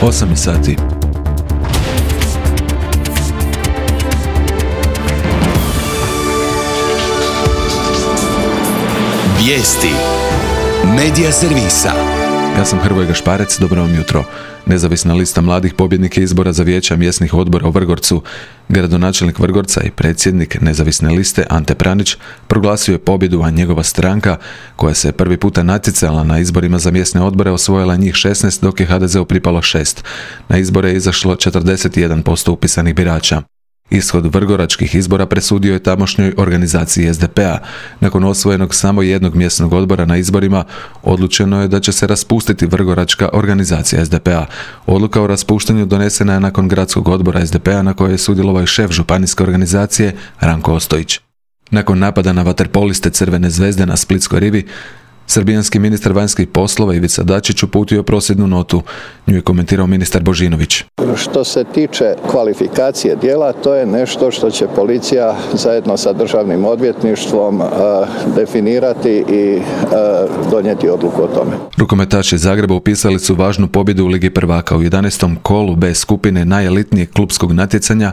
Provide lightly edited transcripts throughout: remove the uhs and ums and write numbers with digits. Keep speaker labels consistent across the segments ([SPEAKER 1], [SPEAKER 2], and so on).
[SPEAKER 1] 8 sati.
[SPEAKER 2] Vijesti Medija servisa.
[SPEAKER 1] Ja sam Hrvoje Gašparec, dobro vam jutro. Nezavisna lista mladih pobjednika izbora za vijeća mjesnih odbora u Vrgorcu, gradonačelnik Vrgorca i predsjednik nezavisne liste Ante Pranić proglasio je pobjedu, a njegova stranka, koja se prvi puta natjecala na izborima za mjesne odbore, osvojila njih 16, dok je HDZ-u pripalo 6. Na izbore je izašlo 41% upisanih birača. Ishod vrgoračkih izbora presudio je tamošnjoj organizaciji SDP-a. Nakon osvojenog samo jednog mjesnog odbora na izborima, odlučeno je da će se raspustiti vrgoračka organizacija SDP-a. Odluka o raspuštanju donesena je nakon gradskog odbora SDP-a na kojoj je sudjelovao i šef županijske organizacije Ranko Ostojić. Nakon napada na vaterpoliste Crvene zvezde na Splitskoj rivi, srbijanski ministar vanjskih poslova Ivica Dačić uputio prosvjednu notu. Nju je komentirao ministar Božinović.
[SPEAKER 3] Što se tiče kvalifikacije djela, to je nešto što će policija zajedno sa državnim odvjetništvom definirati i donijeti odluku o tome.
[SPEAKER 1] Rukometaši Zagreba upisali su važnu pobjedu u Ligi prvaka. U 11. kolu B skupine najelitnijeg klupskog natjecanja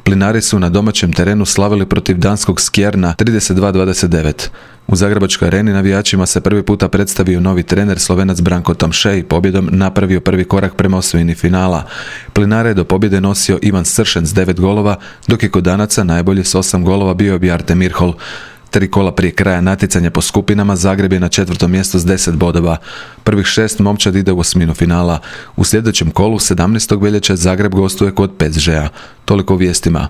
[SPEAKER 1] Plinari su na domaćem terenu slavili protiv danskog Skjerna 32-29. U Zagrebačkoj areni navijačima se prvi puta predstavio novi trener Slovenac Branko Tamše i pobjedom napravio prvi korak prema osvojini finala. Plinare je do pobjede nosio Ivan Sršen s 9 golova, dok je kod Danaca najbolji s 8 golova bio Bjarte Mirhol. 3 kola prije kraja natjecanja po skupinama Zagreb je na 4. mjestu s 10 bodova. Prvih 6 momčad ide u osminu finala. U sljedećem kolu 17. veljače Zagreb gostuje kod PSG-a. Toliko u vijestima.